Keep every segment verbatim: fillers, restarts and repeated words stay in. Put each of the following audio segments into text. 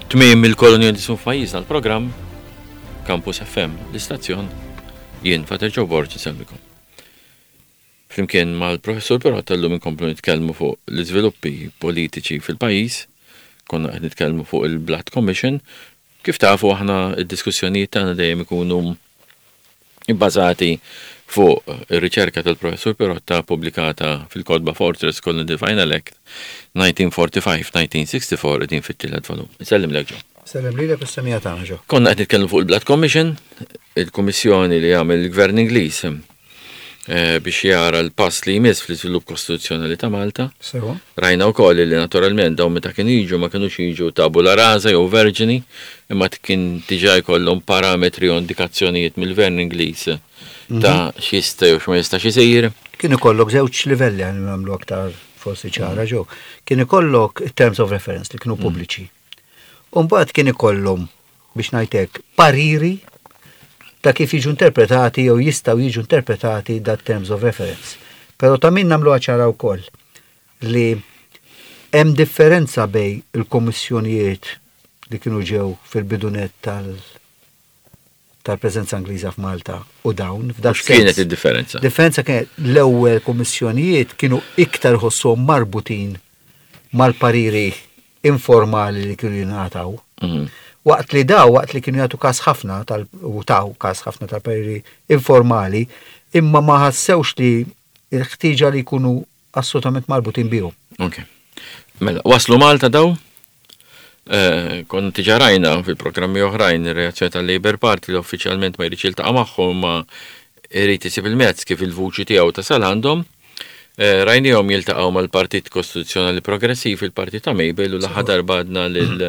Tmiem il-kolonjalizmu f'pajjiżna, l-programm Campus F M, l-istazzjon, jien Father Joe Borg nselmikom. Flimkien mal-professur però tal-lum inkomplu nitkellmu fuq l-iżviluppi politiċi fil-pajjiż, konna qed nitkellmu fuq il-Blood Commission. Kif tafu, aħna id-diskussjonijiet tagħna dejjem ikunu ibbażati fuq ir-riċerka tal-professur Pirotta pubblikata fil-kotba Fortress Colony Final Act elf disa' mija u erbgħa u erbgħin-elf disa' mija u sitta u erbgħin, qegħdin fit-tielet volum. Insellem lek, Joe. Sellem lilek u s-semmiegħa tagħna, Joe. Konna qed nitkellmu fuq il-Blood Commission, il-kummissjoni li għamel il-Gvern Ingliż eh, biex jara l-pass li jmiss fl-iżvilupp kostituzzjonali ta' Malta. Sewa. Rajna wkoll li naturalment dawn meta kienu jiġu ma kinux jiġu tabula rasa jew verġini, imma kien diġà jkollhom parametri u indikazzjonijiet mill-Gvern Ingliż ta' x'jista' jew x'ma jistax isir. Kien ikollok żewġ livelli, għan nagħmlu aktar forsi ċara, Joe. Kien ikollok terms of reference li kienu pubbliċi. U mbagħad kien ikollhom, biex ngħidlek, pariri ta' kif jiġu interpretati jew jistgħu jiġu interpretati dat terms of reference. Però ta' min nagħmlu ċara wkoll li hemm differenza bejn il-kommissjonijiet li kienu ġew fil-bidunet tal- tal-preżenza Ingliża f'Malta u dawn. F'dak X'kienet sens. id-differenza? Differenza kienet l-ewwel kommissjonijiet kienu iktar ħossuhom marbutin mal-pariri informali li kienu jingħataw. Mhm. Waqt li daw, waqt li kienu jagħtu kas ħafna tal u taw kas ħafna tal-pariri informali, imma ma ħassewx li l-ħtieġa li jkunu assolutament marbutin bihom. Ok. Mela, waslu Malta daw? Eh, Konna diġà rajna fil-programmi oħrajn ir-reazzjoni tal-Labour Party li uffiċjalment ma jridx jiltaqa' magħhom, ma jrid isib il-mezz kif il-vuċi tiegħu tasal għandhom. Eh, Rajnihom jiltaqgħu mal-Partit Kostituzzjonali Progressiv, il-Partit ta' Mabel, u l-aħħar darba għedna lil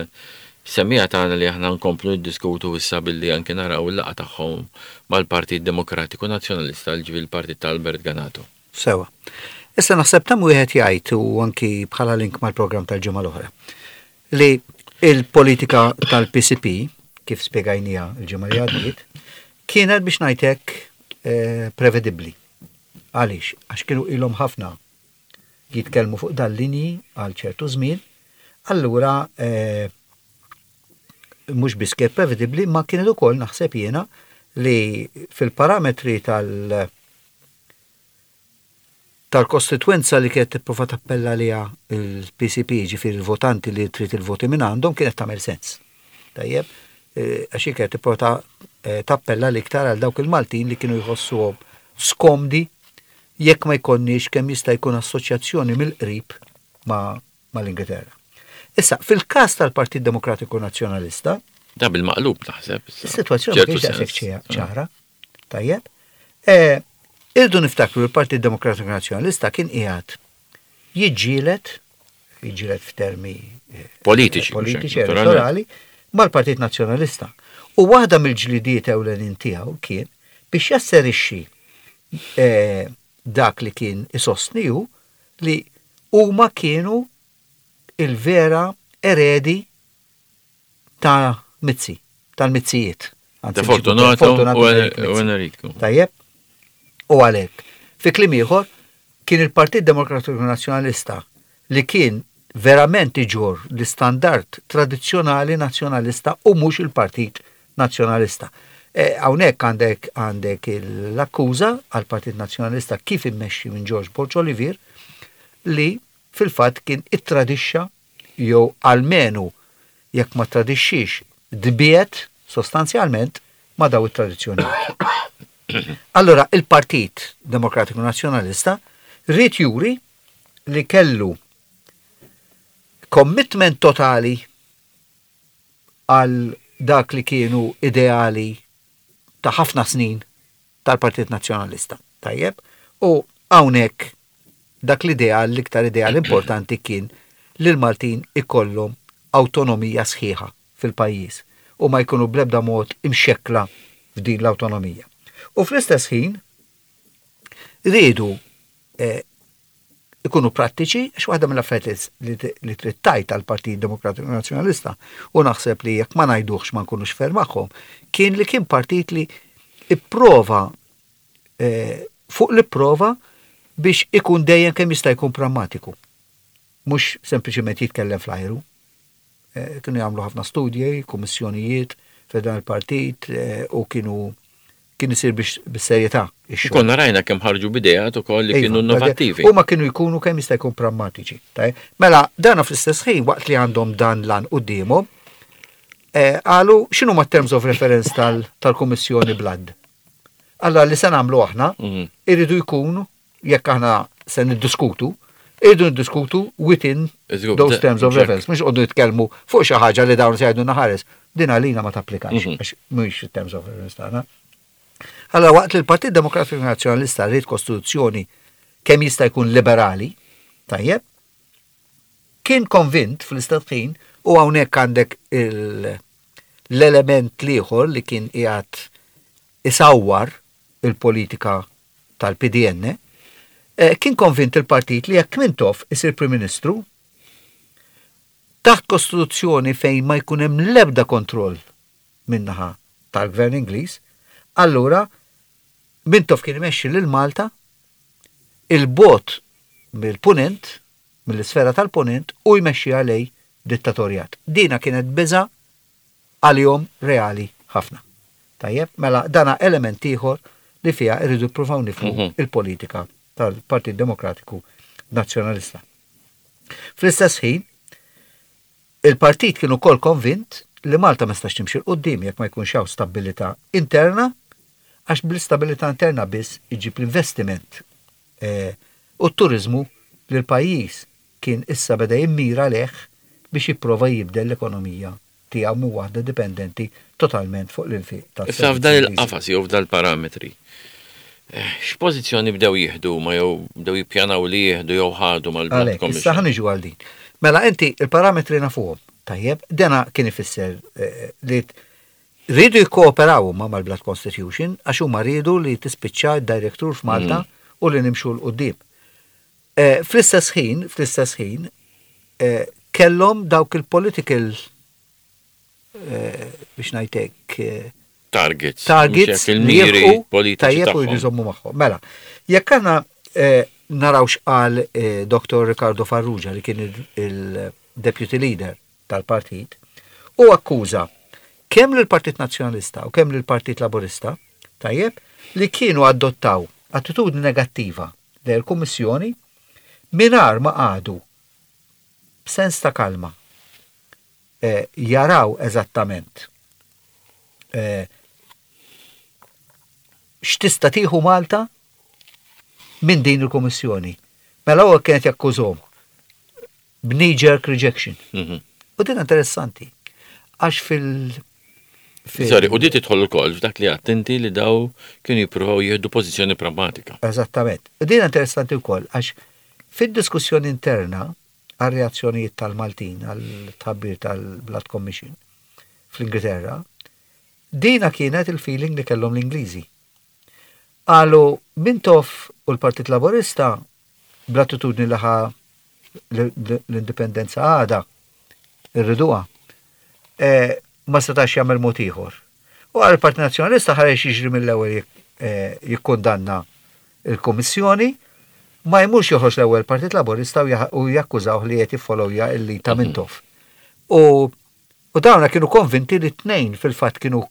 semmiegħa tagħna li aħna nkomplu niddiskutu issa billi anke naraw il-laqgħa tagħhom mal-Partit Demokratiku Nazzjonalista, ġifieri l-Partit ta' Albert Ganato. Sewa. Issa naħseb tam wieħed jgħid, u anki bħala link mal-programm tal-ġimgħa l-oħra, li il-politika tal-P C P, kif spjegajnija l-ġimgħa li għaddiet, kienet, biex ngħidlek, eh, prevedibbli. Għaliex? Għax kienu ilhom ħafna jitkellmu fuq dal-linji għal ċertu żmien, allura eh, mhux biss kienet prevedibbli, ma kienet ukoll, naħseb jiena, li fil-parametri tal- tal-kostituenza li kienet tipprova tappella liha il-P C P, ġifieri il-votanti li trid il-voti minn għandhom, kienet tagħmel sens. Tajjeb, eh, għax hi kienet tipprova eh, tappella l-iktar għal dawk il-Maltin li kienu jħossuhom skomdi jekk ma jkollniex kemm jista' jkun assoċjazzjoni mill-qrib ma' mal-Ingilterra. Issa, fil-każ tal-Partit Demokratiku Nazzjonalista, Da bil-maqlub naħseb issa. is-sitwazzjoni ma ċertu kienx daqshekk sens. ċara. Tajjeb. Eh, Irdu niftakru, l-Partit Demokratiku Nazzjonalista kien qiegħed jiġġieled, jiġġieled f'termi eh, Politiċi, politiċi mhux hekk, elettorali mal-Partit Nazzjonalista. U waħda mill-ġlidiet ewlenin tiegħu kien biex jasserixxi eh, dak li kien isostni hu li huma kienu il-vera eredi ta' Mizzi, tal-Mizzijiet. Ta' Fortunato Fortunato u Eric u Mizzi. Enrico. Tajjeb? U għalhekk, fi kliem ieħor, kien il-Partit Demokratiku Nazzjonalista li kien verament iġorr l-istandard tradizzjonali nazzjonalista u mhux il-Partit Nazzjonalista. E, Hawnhekk għandek għandek l-akkuża għal Partit Nazzjonalista kif immexxi minn George Borg Olivier li fil-fatt kien ittradixxa jew almenu jekk ma tradixxix dbiet sostanzjalment ma daw it-tradizzjonijiet. Allora, il-Partit Demokratiku Nazzjonalista ried juri li kellu commitment totali għal dak li kienu ideali ta' ħafna snin tal-Partit Nazzjonalista. Tajjeb? U hawnhekk dak l-ideal, l-iktar ideal importanti kien li l-Maltin ikollhom autonomija sħiħa fil-pajjiż u ma jkunu bl-ebda mod imxekla f'din l-autonomija. U fl-istess ħin riedu eh, ikunu prattiċi, għax waħda mill-affarijiet li, li trid tgħid għal-Partit Demokratiku Nazzjonalista, u naħseb li jekk ma ngħiduhx ma nkunux fair magħhom, kien li kien partit li ipprova eh, fuq li prova biex ikun dejjem kemm jista' jkun prammatiku. Mhux sempliċement jitkellem fl-ajru. Eh, kienu jagħmlu ħafna studji, kummissjonijiet f'dan il-partit eh, u kienu kien isir biex bis-serjetà ix-xogħol. Konna rajna kemm ħarġu b'ideat ukoll li Iva, kienu innovattivi. Huma kienu jkunu kemm jista' jkun prammatiċi. Tajjeb? Mela, dana fl-istess ħin waqt li għandhom dan l-għan quddiemhom, eh, qalu x'inhu ma terms of reference tal- tal-Kummissjoni Blood. Allora li se nagħmlu aħna Mhm. irridu jkunu jekk aħna se niddiskutu, irridu niddiskutu within Iżgur, those da- terms of check. reference, mhux qogħdu nitkellmu fuq xi ħaġa li dawn se jgħidu naħares. Din għalina ma tapplikax, Mhm. għax mhuwiex terms of reference tagħna. Allora waqt li l-Partit Demokratiku Nazzjonalista rrid kostituzzjoni kemm jista' jkun liberali, tajjeb, kien konvint fl-istess ħin u hawnhekk għandek il- l-element l-ieħor li kien qiegħed isawwar il-politika tal-P D N, eh, kien konvint il-partit li jekk Mintoff isir Prim Ministru, taħt kostituzzjoni fejn ma jkun hemm l-ebda kontroll min-naħa tal-Gvern Ingliż, allura Mintoff kien imexxi lil Malta 'il bogħod mill-punent, mill-isfera tal-punent u jmexxi għalej dittatorjat. Dina kienet biża għalihom reali ħafna. Tajjeb, mela dana element ieħor li fiha irridu ppruvaw nifhmu Mhm. il-politika tal-Partit Demokratiku Nazzjonalista. Fl-istess ħin, il-partit kien ukoll konvint li Malta ma stax timxi 'l quddiem jekk ma jkunx hawn stabilità interna, għax bl-istabilità interna biss iġib l-investiment eh, u t-turizmu li l-pajjiż kien issa beda jimmira leħ biex jipprova jibdel l-ekonomija tiegħu minn waħda dipendenti totalment fuq l-infiq Issa f'dan il-qafas jew f'dan il-parametri, eh, x'pożizzjoni bdew jieħdu ma jew bdew jippjanaw li jieħdu jew ħadu mal-Blood Għalek, issa Commission? ħa niġu għal din. Mela inti il-parametri nafuhom, tajjeb, dena kien ifisser eh, li t- rridu jikkooperaw huma mal-Blood Constitution għax huma rridu li tispiċċa d-direct rule f'Malta u li nimxu 'l quddiem. Eh, Fl-istess ħin, fl-istess ħin, eh, kellhom dawk il-political eh, biex ngħidlek eh, Targets. targets mhux hekk, li il-miri jilħqu politiċi tajjeb u tagħhom. jridu jżommu magħhom. Mela, jekk aħna eh, naraw x'qal eh, Doktor Ricardo Farrugia li kien il- il-deputy leader tal-partit u akkuża kemm lill-Partit Nazzjonalista u kemm lill-Partit Laburista, tajjeb, li kienu adottaw attitudni negattiva lejn il-Kummissjoni mingħajr ma qagħdu b'sens ta' kalma eh, jaraw eżattament eh, x'tista' tieħu Malta minn din il-Kummissjoni. Mela huwa kienet jakkużhom b'knee jerk rejection. Mhm. U din interessanti. Għax fil- fil- Sorry, u di tidħol ukoll f'dak li attenti li daw kienu jippruvaw jieħdu pożizzjoni pragmatika. Eżattament. U din interessanti wkoll għax fid-diskussjoni interna għal reazzjonijiet tal-Maltin għal tħabbir tal-Blood Commission fl-Ingilterra, dina kienet il-feeling li kellhom l-Ingliżi. Qalu Mintoff u l-Partit Laburista bl-attitudni li ħa l-indipendenza għada irriduha, eh, ma setax jagħmel mod ieħor. U għal il-Partit Nazzjonalista ħareġ jiġri mill-ewwel jik- eh, jikkundanna il-Kummissjoni, ma jmurx joħroġ l-ewwel Partit Laburista u jah- u jakkużawh li qed jiffollowja il ta' Mintoff. U u dawna kienu konvinti li t-tnejn fil-fatt kienu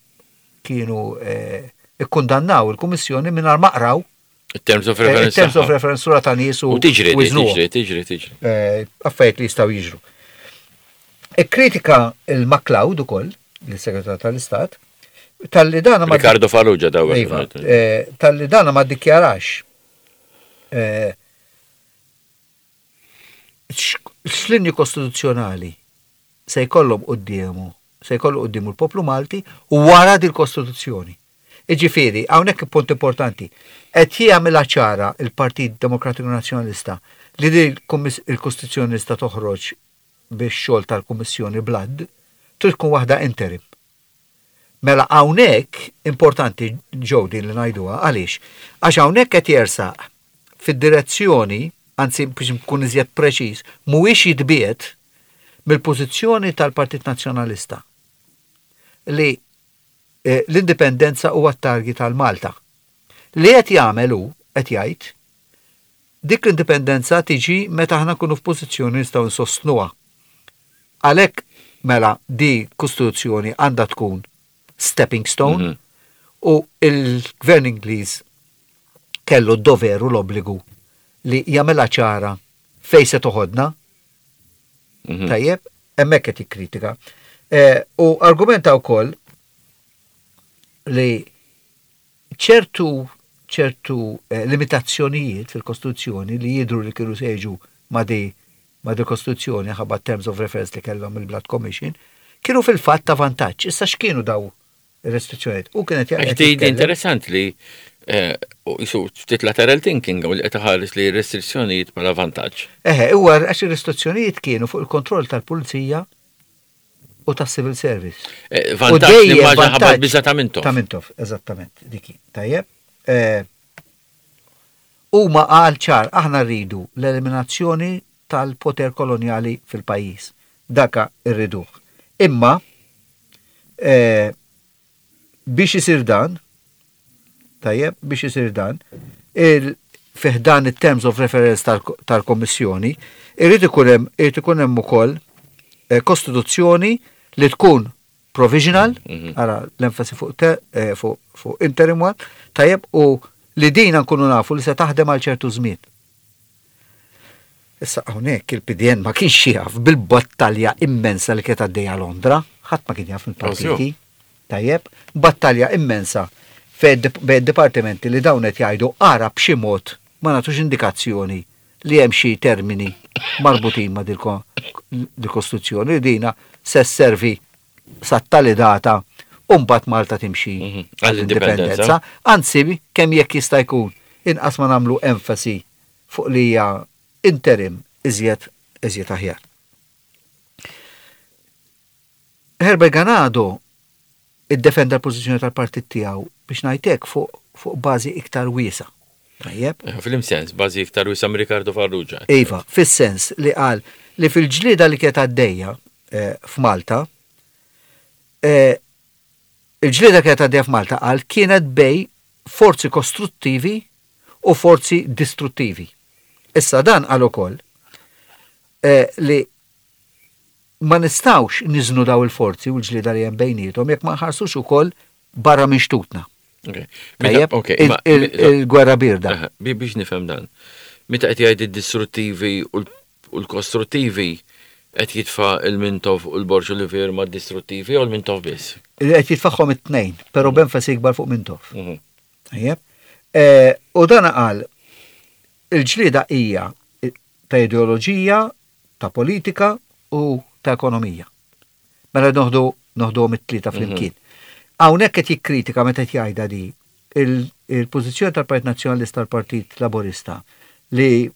kienu eh, ikkundannaw il-Kummissjoni mingħajr ma qraw Il-terms of eh, reference. terms of tagħha. reference sura ta' nies u U tiġri, di, wiżnuhom. tiġri, tiġri, tiġri. eh, affarijiet li jistgħu jiġru. Ikkritika il-McLeod ukoll, l-Segretar tal-Istat, tal-li dana ma Ricardo Farrugia daw. Iva, eh, tal-li dana ma dikjarax eh, x- x'linji kostituzzjonali se jkollhom quddiemu, se jkollu quddiemu l-poplu Malti wara dil-Kostituzzjoni. Iġifieri, hawnhekk punt importanti, qed jagħmilha ċara il-Partit Demokratiku Nazzjonalista li din il-kummis- il-Kostituzzjoni sta toħroġ biex xogħol tal-Kummissjoni Blood trid tkun waħda interim. Mela hawnhekk importanti ġew din li ngħiduha għaliex? Għax hawnhekk qed jersaq fid-direzzjoni, anzi biex nkun iżjed preċiż, mhuwiex jitbiet mill-pożizzjoni tal-Partit Nazzjonalista li eh, l-indipendenza huwa t-target tal-Malta. Li qed jagħmel hu qed jgħid dik l-indipendenza tiġi meta aħna nkunu f'pożizzjoni nistgħu nsostnuha. Għalhekk Mela di kostituzzjoni għandha tkun stepping stone u il-gvern Ingliż kellu d-dover u l-obbligu li jagħmilha ċara fejn se toħodna. Tajjeb, hemmhekk qed jikkritika. Eh, U argumenta wkoll li ċertu ċertu eh, limitazzjonijiet fil-Kostituzzjoni li jidru li kienu se jiġu ma di ma di Kostituzzjoni ħabba terms of reference li kellhom il-Blood Commission, kienu fil-fatt ta' vantaġġ. Issa x'kienu daw ir-restrizzjonijiet? U kienet Għax di di interessant li eh, u jisu ftit lateral thinking u li qed iħares li restrizzjonijiet bħala vantaġġ. Eħe, huwa għax ir-restrizzjonijiet kienu fuq il-kontroll tal-pulizija u tas-civil service. Eh, U Vantaġġ li dejjem maġa ħabba vantaġġ biża ta' Mintoff. Ta' Mintoff, eżattament, diki. Tajjeb. Eh, Huma qal ċar, aħna rridu l-eliminazzjoni tal-poter koloniali fil-pajjiż. Daka rriduh. Imma eh, biex isir dan, tajjeb, biex isir dan, il fi ħdan it-terms of reference tal- tal-Kommissjoni, irrid ikun hemm irrid ikun hemm ukoll eh, kostituzzjoni li tkun provisional, ara l-enfasi fuq te, eh, fuq fuq interim one, tajjeb, u li dina nkunu nafu li se taħdem għal ċertu żmien. Issa hawnhekk il-P D N ma kienx jaf bil-battalja immensa li kienet għaddejja Londra, ħadd ma kien jaf mill-partiti. Tajjeb, battalja immensa fejn bejn dipartimenti li dawn qed jgħidu ara b'xi mod ma nagħtux indikazzjoni li hemm xi termini marbutin ma' dil-Kostituzzjoni li dina se sservi sat-tali data u mbagħad Malta timxi Mhm. għall-indipendenza. Anzi, kemm jekk jista' jkun inqas ma nagħmlu enfasi fuq li hija interim, iżjed iżjed aħjar. Herbert Ganado iddefenda l-pożizzjoni tal-partit tiegħu biex ngħidlek fuq fuq bażi iktar wiesa. Tajjeb? Eh, Fil-sens, bażi iktar wiesa Ricardo Farrugia. Iva, fis-sens li qal li fil-ġlieda li kienet għaddejja eh, f'Malta, eh, il-ġlieda kienet għaddejja f'Malta qal kienet bejn forzi kostruttivi u forzi distruttivi. Issa dan qal ukoll eh, li ma nistawx niżnu daw il-forzi u l-ġlieda li hemm bejniethom jekk ma nħarsux ukoll barra minn xtutna. Ok. Tajjeb, Ok, il- ma- il- il-gwerra birda. Aha, bi- Biex nifhem dan. Meta qed jgħid id-distruttivi u l- u l-kostruttivi, qed jitfa' il-Mintoff u l-Borg Olivier ma' distruttivi u l-Mintoff biss? Qed jitfaħħom it-tnejn, però b'enfasi ikbar fuq Mintoff. Mhm. Tajjeb. Eh, U dan qal il-ġlieda hija ta' ideoloġija, ta' politika u ta' ekonomija. Mela noħdu noħduhom it-tlieta flimkien. Hawnhekk qed jikkritika meta qed jgħidha di il- il-pożizzjoni tal-Partit Nazzjonalista, tal-Partit Laburista, li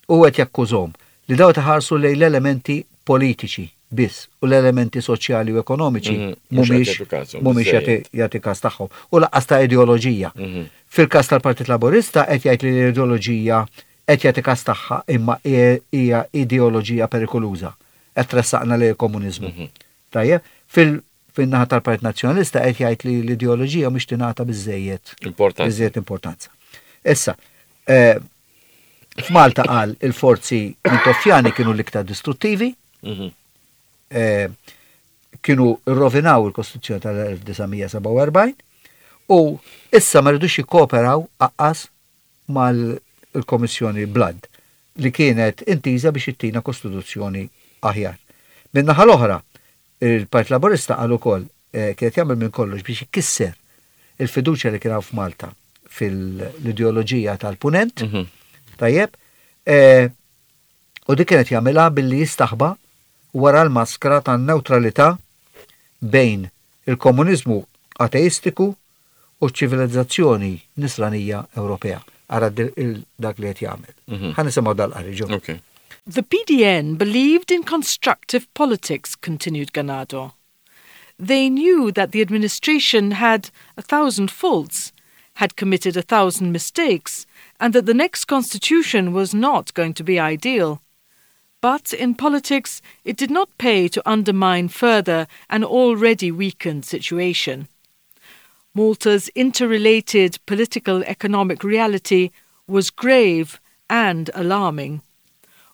u qed jakkużhom li daw taħarsu lejn l-elementi politiċi biss u l-elementi soċjali u ekonomiċi Mhm, mhux qed mhumiex jagħtu każhom mhumiex biżejjed. jagħti jagħti każ tagħhom u lanqas ta' ideoloġija. Mhm. Fil-każ tal-Partit Laburista qed jgħid li l-ideoloġija qed jagħti każ tagħha imma hija hija ideoloġija perikoluża. Qed tressaqna lejn komuniżmu. Mhm. Tajjeb, fil fin-naħa tal-Partit Nazzjonalista qed jgħid li l-ideoloġija mhix tingħata biżejjed Importanti. biżejjed importanza. Issa, eh, f'Malta qal il-forzi Mintoffjani kienu l-iktar distruttivi, Mhm. eh, kienu rovinaw il-Kostituzzjoni tal-elf disa' mija sebgħa u erbgħin u issa ma rridux jikkooperaw aqqas mal-Komissjoni Blood li kienet intiża biex ittina Kostituzzjoni aħjar. Min-naħa l-oħra, il-Partit Laburista qal ukoll eh, kienet jagħmel minn kollox biex ikisser il-fiduċja li kien hawn f'Malta fil-ideoloġija tal-punent, Mhm. tajjeb, eh, u dik kienet jagħmilha billi jistaħba wara l-maskra tan-neutralità bejn il-komuniżmu ateistiku u ċ-ċivilizzazzjoni nisranija Ewropea. Ara di- il- dak li qed jagħmel. Mhm. Ħa nisimgħu dal-qari ġo. Ok. The P D N believed in constructive politics, continued Ganado. They knew that the administration had a thousand faults, had committed a thousand mistakes, and that the next constitution was not going to be ideal. But in politics, it did not pay to undermine further an already weakened situation. Malta's interrelated political economic reality was grave and alarming.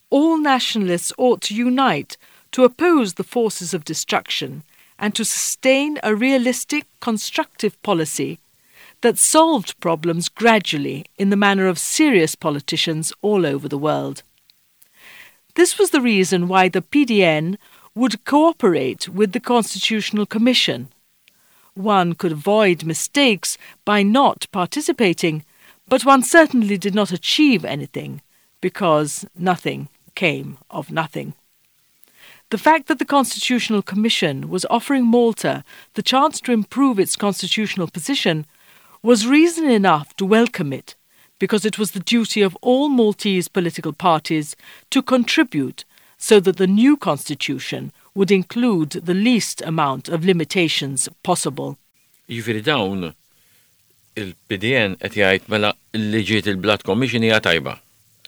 All nationalists ought to unite to oppose the forces of destruction and to sustain a realistic, constructive policy that solved problems gradually in the manner of serious politicians all over the world. This was the reason why the P D N would cooperate with the Constitutional Commission. One could avoid mistakes by not participating, but one certainly did not achieve anything, because nothing came of nothing. The fact that the Constitutional Commission was offering Malta the chance to improve its constitutional position was reason enough to welcome it, because it was the duty of all Maltese political parties to contribute so that the new constitution would include the least amount of limitations possible. Jiġifieri dawn il-P D N qed jgħid mela li ġiet il-Blood Commission hija tajba.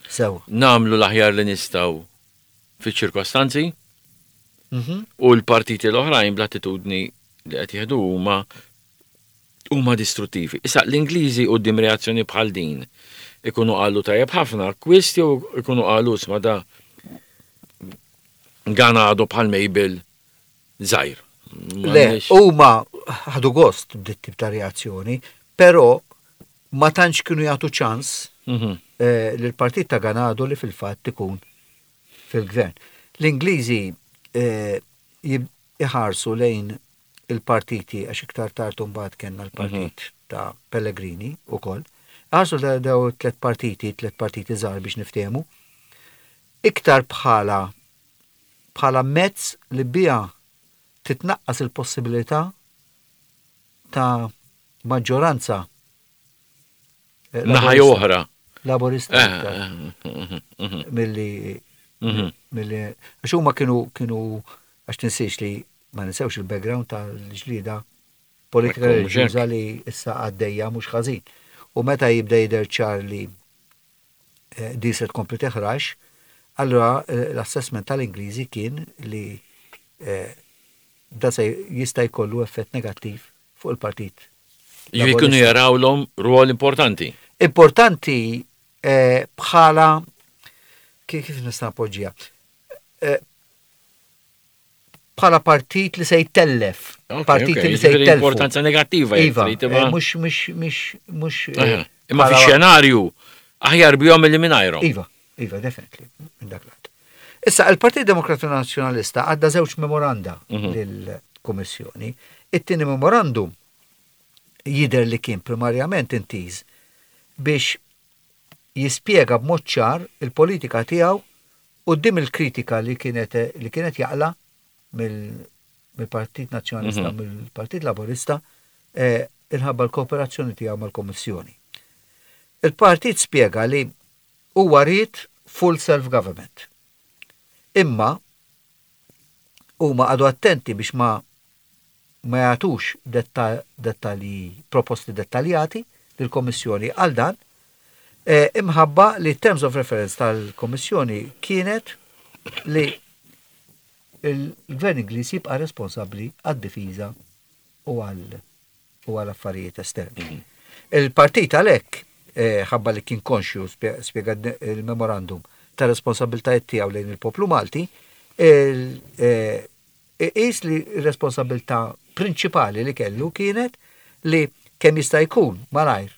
Sew. Nagħmlu l-aħjar li nistgħu fiċ-ċirkostanzi Mhm. u l-partiti l-oħrajn bl-attitudni li qed jieħdu huma huma distruttivi. Issa l-Ingliżi quddiem reazzjoni bħal din ikunu qalu tajjeb ħafna, akkwist jew ikunu qalu isma' da Ganado bħal Mabel żgħir. Le, huma ħadu gost b'dit tip ta' reazzjoni, però ma tantx kienu jagħtu ċans Mhm. eh, lill-partit ta' Ganado li fil-fatt ikun fil-gvern. L-Ingliżi eh, jib- iħarsu lejn il-partiti, għax iktar tard mbagħad kellna l-partit ta' Pellegrini ukoll. Ħarsu da daw tlet partiti, tlet partiti żgħar biex niftehmu, iktar bħala bħala mezz li bija titnaqqas il-possibilità ta' maġġoranza eh, Naħa jew oħra. Laburista Eh, iktar eh, mhm, mhm, milli mhm. milli għax huma kienu kienu għax tinsiex li ma ninsewx il-background tal-ġlida politika Ekku, mhux hekk. reliġjuża li issa għaddejja mhux ħażin. U meta jibda jidher ċar li eh, di se tkompli teħrax, allura eh, l-assessment tal-Ingliżi kien li eh, da se jista' jkollu effett negattiv fuq il-partit. Jiġifieri kienu Laburista. jarawlhom rwol importanti. Importanti eh, bħala kif kif nista' napoġġija? Eh, bħala partit li se jtellef. Ok, Partiti ok, li se jiġifieri jtellfu. importanza negattiva. Jekk Iva, trid, eh, imma- mhux mhux mhux mhux eh, Aha. Imma bħala- fi xenarju aħjar bihom milli mingħajrhom. Iva, iva, definitely, minn dak lat. Issa, il-Partit Demokratiku Nazzjonalista għadda żewġ memoranda Mhm. lill-Kummissjoni. It-tieni memorandum jider li kien primarjament intiż biex jispjega b'mod ċar il-politika tiegħu quddiem il-kritika li kienet li kienet jaqla mill- mill-Partit Nazzjonalista, Mhm. mill-Partit Laburista, eh, inħabba l-kooperazzjoni tiegħu mal-Kommissjoni. Il-partit spjega li huwa ried full self-government. Imma huma qagħdu attenti biex ma ma jagħtux detta, dettalji, proposti dettaljati lill-Kommissjoni għal dan, eh, imħabba li terms of reference tal-Kommissjoni kienet li il-Gvern Ingliż jibqa' responsabbli għad-difiża u għal u għal affarijiet esterni. Il-partit għalhekk eh, ħabba li kien konxju spje- spjega il-memorandum ta' responsabiltajiet tiegħu lejn il-poplu Malti, il- eh, qis li r-responsabilità prinċipali li kellu kienet li kemm jista' jkun malajr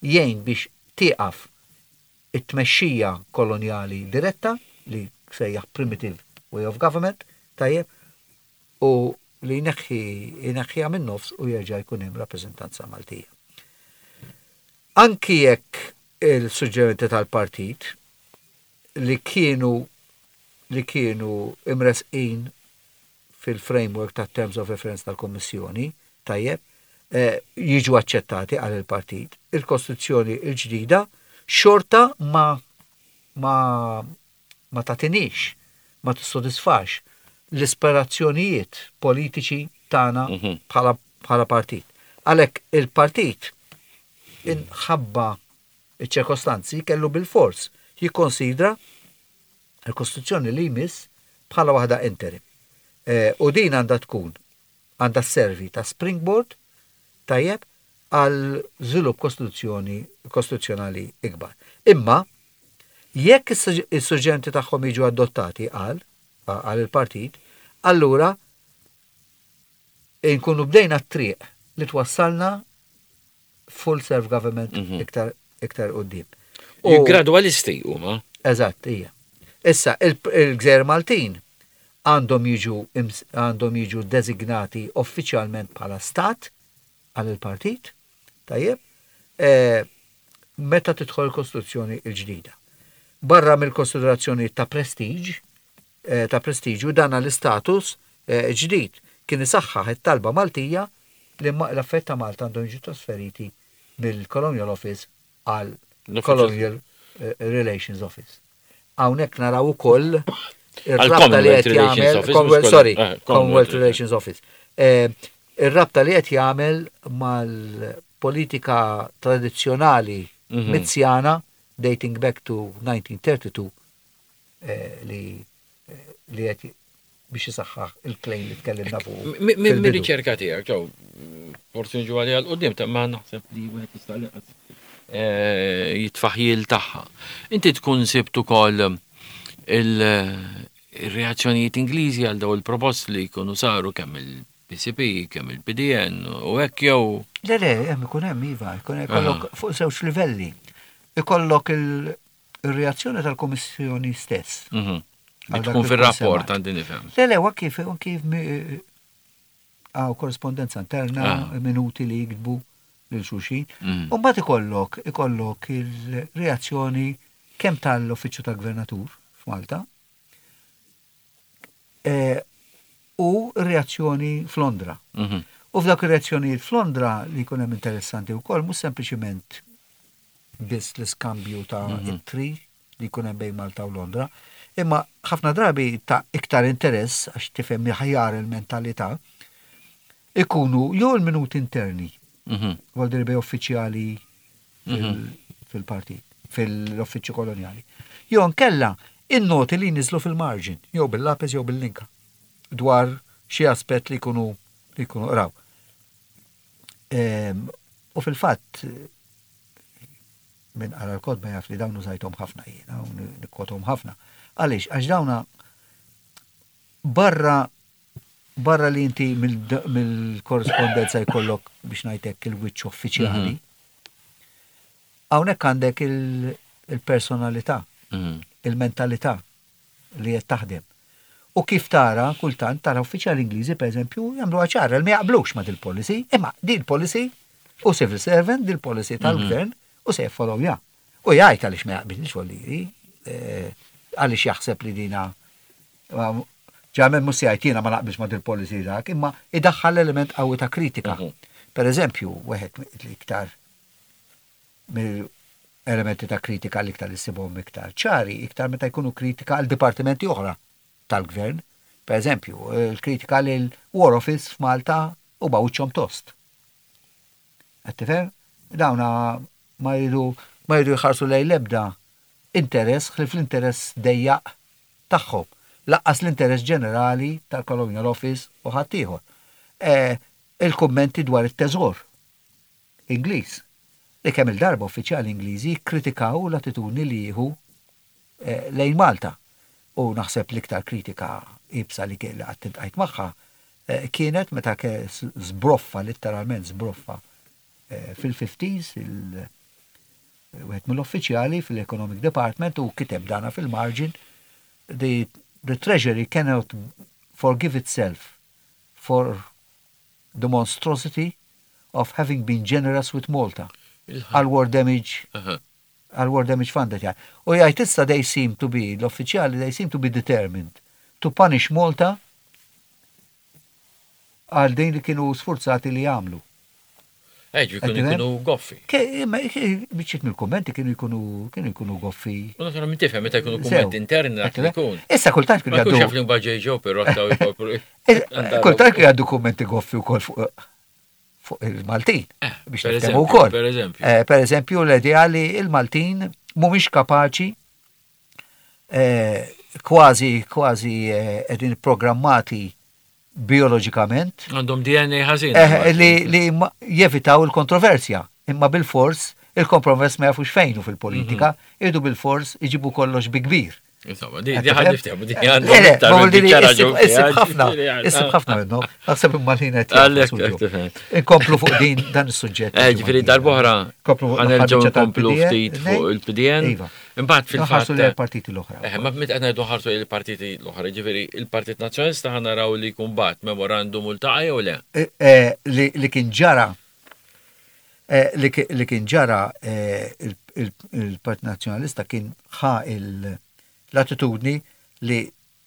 jgħin biex tieqaf it-tmexxija kolonjali diretta li sejjaħ primitive way of government, tajjeb, u li jneħħi jneħħiha minn nofs u jerġa' jkun hemm rappreżentanza Maltija. Anki jekk il-suġġerimenti tal-partit li kienu li kienu imresqin fil-framework ta' terms of reference tal-Kommissjoni, tajjeb, eh, jiġu aċċettati għal il-partit. Il-Kostituzzjoni il-ġdida xorta ma ma ma tatinix, ma tissodisfax l-ispirazzjonijiet politiċi tagħna Mhm. bħala bħala partit. Għalhekk il-partit inħabba iċ-ċirkostanzi kellu bil-fors jikkonsidra il-Kostituzzjoni li jmiss bħala waħda interim. Eh, u din għandha tkun għandha servi ta' springboard tajjeb għal żvilupp kostituzzjoni kostituzzjonali ikbar. Imma jekk is-suġġerimenti tagħhom jiġu adottati għal għal il-partit, allura nkunu bdejna t-triq li twassalna full self-government Mhm. iktar iktar quddiem. U- Gradualisti huma. Eżatt, hija. Issa, il- il-Gżejjer Maltin għandhom jiġu ims- għandhom jiġu designati uffiċjalment bħala stat għal il-partit, tajjeb, eh, meta tidħol il-Kostituzzjoni il-ġdida. Barra mill-konsiderazzjoni ta' prestige, eh, ta' prestiġu dan l-istatus eh, ġdid kien isaħħaħ it-talba Maltija li ma- l-affarijiet ta' Malta għandhom jiġu trasferiti mill-Colonial Office għal L-Uffiċċju- Colonial eh, Relations Office. Hawnhekk naraw ukoll Għal ir-rabta li Commonwealth qed Relations jagħmel Office, Commonwealth, mhux sorry, eh, Commonwealth Commonwealth Relations Office. Eh, Ir-rabta li qed jagħmel mal-politika tradizzjonali Mhm. Mizzjana dating back to nineteen thirty-two eh, li eh, li qed biex isaħħaħ il-claim li tkellimna fuq Minn fil-bidu. riċerka tiegħek, ġew, forsi nġu għalija l-qoddim, ta' ma naħseb li wieħed jista' lanqas, eh, jitfaħjil tagħha. Inti tkun sibt ukoll il-reazzjonijiet Ingliżi għal daw il-proposti li jkunu saru kemm il-P C P, kemm il-P D N u hekk jew? Le, le, hemm ikun hemm iva, ikun ikollok fuq żewġ livelli. Ikollok il- il-reazzjoni tal-Kummissjoni stess. Mhm. Li Għal dak tkun li fil-rapport tkun għandi nifhem. Le, le, kif, kif għaw korrespondenza interna, Ah. minuti li jiktbu lil xulxin. Mhm. U mbagħad ikollok, ikollok il-reazzjoni kemm tal-Uffiċċju tal-Gvernatur f'Malta eh, u reazzjoni f'Londra. Mhm. U f'dawk ir-reazzjonijiet f'Londra li jkun hemm interessanti wkoll mhux sempliċiment biss l-iskambju ta' Mhm. ittri li jkun hemm bejn Malta u Londra, imma ħafna drabi ta' iktar interess għax tifhem aħjar il-mentalità ikunu jew il-minuti interni Mhm. għal bej uffiċjali fil- Mhm. fil-partit, fil-uffiċċju koloniali. Jew nkella in-noti li niżlu fil-margin, jew bil-lapes jew bil-linka, dwar xi aspett li jkunu li jkunu qraw. Em, U fil-fatt minn qara l-kotba jaf li dawn użajthom ħafna jiena u nikkotom ħafna. Għaliex, għax dawna barra barra li inti mill- mill-korrespondenza jkollok biex ngħidlek il-wiċċ uffiċjali. Hawnhekk għandek il- il-personalità, Mhm. il-mentalità li qed taħdem. U kif tara, kultant, tara uffiċjali Ingliżi, per eżempju, jagħmlu ċara li ma jaqblux ma dil-policy, imma din policy u civil servant, dil policy tal-gvern u se jiffollowja. U jgħid għaliex ma jaqbilx volliri, eh, għaliex jaħseb li dina ġamen mhux se jgħid jiena ma naqbilx ma dil-policy dak, imma idaħħal element qawwi ta' kritika. Mhm. Per eżempju, wieħed l-iktar mill-elementi ta' kritika l-iktar li ssibhom iktar ċari, iktar meta jkunu kritika għal dipartimenti oħra tal-gvern. Per eżempju, il-kritika lil War Office f'Malta u bawċom tost. Qed tifhem? Dawna ma jridu ma jridu jħarsu lejn l-ebda interess ħlief l-interess dejjaq tagħhom. Lanqas l-interess ġenerali tal-Colonial Office u ħaddieħor. Eh, il-kummenti dwar it-teżor Ingliż. Li kemm il-darba uffiċjali Ingliżi kritikaw l-attitudni li jieħu eh, lejn Malta. U naħseb l-iktar kritika ibsa li kien li qatt iltqajt magħha eh, kienet meta ke zbroffa, letteralment zbroffa eh, fil-fifties il wieħed mill-uffiċjali fil-Economic Department u kiteb dana fil-margin: the, the Treasury cannot forgive itself for the monstrosity of having been generous with Malta għal war damage Aha. għal war damage fund qed jgħid. U jgħid issa they seem to be, l-uffiċjali, they seem to be determined to punish Malta għal din li kienu sforzati li jagħmlu. Eġ, jkunu Qed tifhem? jkunu goffi. Ke- ma- ke- Biċċiet mill-kummenti kienu jkunu kienu jkunu goffi. U naturalment tifhem meta jkunu Sew. kummenti interni dak li Qed tifhem? jkun. Issa kultant kienu Ma jkunx jgħaddu jaf li mbagħad ġej ġew però taw jkopru. Eh, Kultant kienu jgħaddu kummenti goffi wkoll fuq fuq il-Maltin. Eh, Biex per niftehmu eżempju, wkoll. per eżempju. Eh, Per eżempju, l-idea li il-Maltin mhumiex kapaċi eh, kważi kważi eh, qegħdin programmati bioloġikament Għandhom D N A ħażin. eh, li, li ma- jevitaw il-kontroversja. Imma bil-fors, il-kompromess ma jafux fejnu fil-politika, Mhm. irdu bil-fors iġibu kollox bi kbir. Insomma, di di ħad niftehmu, di għandhom Le, le, iktar ma minn vuol dire biċċa issib raġun issib fiha, ħafna, ġifieri, issib ah. ħafna minnhom, naħseb imma li qed Għalhekk, jagħmlu hekk tifhem. Inkomplu fuq din dan is-suġġett. Eh, ġifieri darb'oħra Komplu fuq ħa nerġgħu l-aħħar biċċa nkomplu tal-P D N, ftit fuq il-P D N. Iva. Imbagħad Nħarsu fil-fatt. lejn partiti l-oħra. Eh, ma meta qed ngħidu ħarsu il-partiti l-oħra, ġifieri il-Partit Nazzjonalista ħa naraw li jkun bagħat memorandum u ltaqa' jew le? Eh, eh, li li kien ġara eh, li ki- li kien ġara eh, il- il- il-Partit Nazzjonalista kien ħa il- l-attitudni li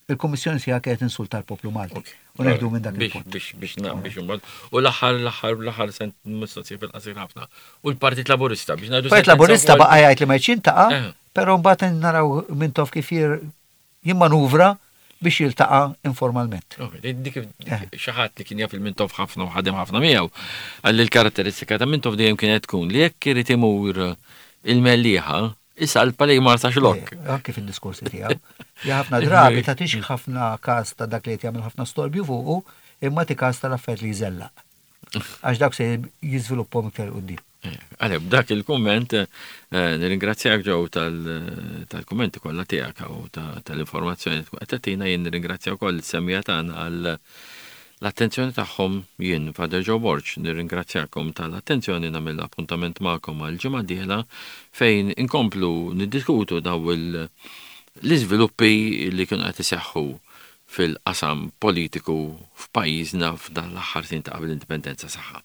il-Kummissjoni sija kienet insulta l-poplu Malti. U neħdu minn dak Biex il-punt. biex biex na biex imbagħad. U l-aħħar l-aħħar l-aħħar sent mistoqsija fil-qasir ħafna. U l-Partit Laburista biex ngħidu Partit sentenza Laburista wkoll- baqa' jgħid li ma jiltaqa', Eh. però mbagħad naraw Mintoff kif jir- jimmanuvra biex jiltaqa' informalment. Ok, dik dik Eh. xi ħadd li kien jaf il-Mintoff ħafna u ħadem ħafna miegħu. Għalli l-karatteristika ta' Mintoff dejjem kienet tkun li jekk irid imur il-Mellieħa, isalpa lejn Marsaxlokk. Eh, Anke fil-diskorsi tiegħu. Ja ħafna drabi tagħtix ħafna każ ta' dak li qed jagħmel ħafna storbju fuqu, imma ti każ tal-affarijiet li jżellaq. Għax dak se jiżviluppahom iktar quddiem. Għalek, b'dak il-komment, eh, nirringrazzjak, Joe, tal-kommenti kollha tiegħek u ta- tal-informazzjoni li tkun qed tagħtina. Jien nirringrazzja wkoll is-semmiegħa tagħna għal l-attenzjoni tagħhom. Jien Father Joe Borg, nirringrazzjakom tal-attenzjoni, nagħmel appuntament magħkom għal ġimgħa dieħla fejn inkomplu niddiskutu daw il- l-iżviluppi li kienu qed iseħħu fil-qasam politiku f'pajjiżna f'dan l-aħħar snin ta' qabel l-indipendenza. Saħħa.